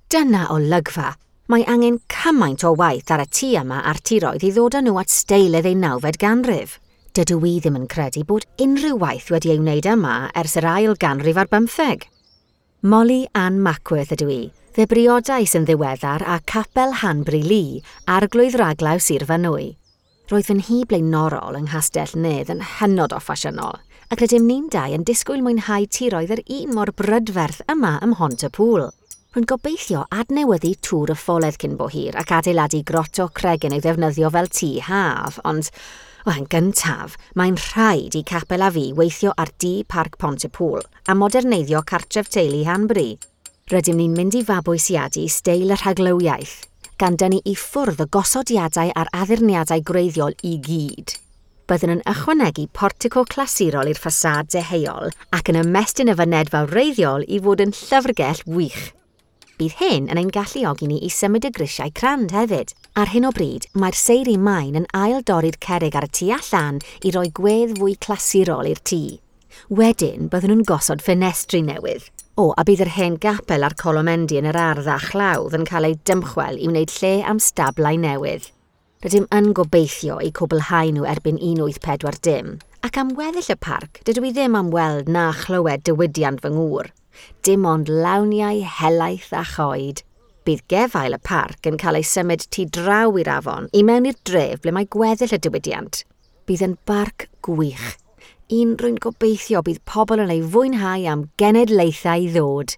Dyna olygfa! Mae angen cymaint o waith ar y tŷ yma a'r tiroedd i ddod â nhw at steil y ddeunawfed ganrif. Dydw i ddim yn credu bod unrhyw waith wedi ei wneud yma ers yr ail ganrif ar bymtheg. Molly Ann Mackworth ydw i. Fe briodais yn ddiweddar â Capel Hanbury Lee, arglwydd raglaw Sir Fynwy. Roedd fy nhŷ blaenorol yng Nghastell Nedd yn hynod o ffasiynol, ac rydym ni'n dau yn disgwyl mwynhau tiroedd yr un mor brydferth yma ym Mhont-y-pŵl. Rwy'n gobeithio adnewyddu Tŵr y Ffoledd cyn bo hir ac adeiladu groto cregyn ei ddefnyddio fel tŷ haf, ond, wel, yn gyntaf, mae'n rhaid i Capel a fi weithio ar dŷ Parc Pont-y-pŵl a moderneiddio cartref teulu Hanbury. Rydym ni'n mynd i fabwysiadu steil y rhaglywiaeth, gan dynnu i ffwrdd y gosodiadau a'r addurniadau gwreiddiol i gyd. Byddwn yn ychwanegu portico clasurol i'r ffasâd deheuol ac yn ymestyn y fynedfa wreiddiol i fod yn llyfrgell wych. Bydd hyn yn ein galluogi ni i symud y grisiau crand hefyd. Ar hyn o bryd, mae'r seiri maen yn ail-dorri'r cerrig ar y tu allan i roi gwedd fwy clasurol i'r tŷ. Wedyn, byddwn yn gosod ffenestri newydd. O, a bydd yr hen gapel a'r colomendy yn yr ardd a chlawdd yn cael ei dymchwel i wneud lle am stablau newydd. Rydym yn gobeithio eu cwblhau nhw erbyn 1840, ac am weddill y parc, dydw i ddim am weld na chlywed diwydiant fy ngŵr. Dim ond lawniau helaeth a choed. Bydd gefail y parc yn cael ei symud tu draw i'r afon i mewn i'r dref ble mae gweddill y diwydiant. Bydd yn barc gwych. Un rwy'n gobeithio bydd pobl yn ei fwynhau am genedlaethau i ddod.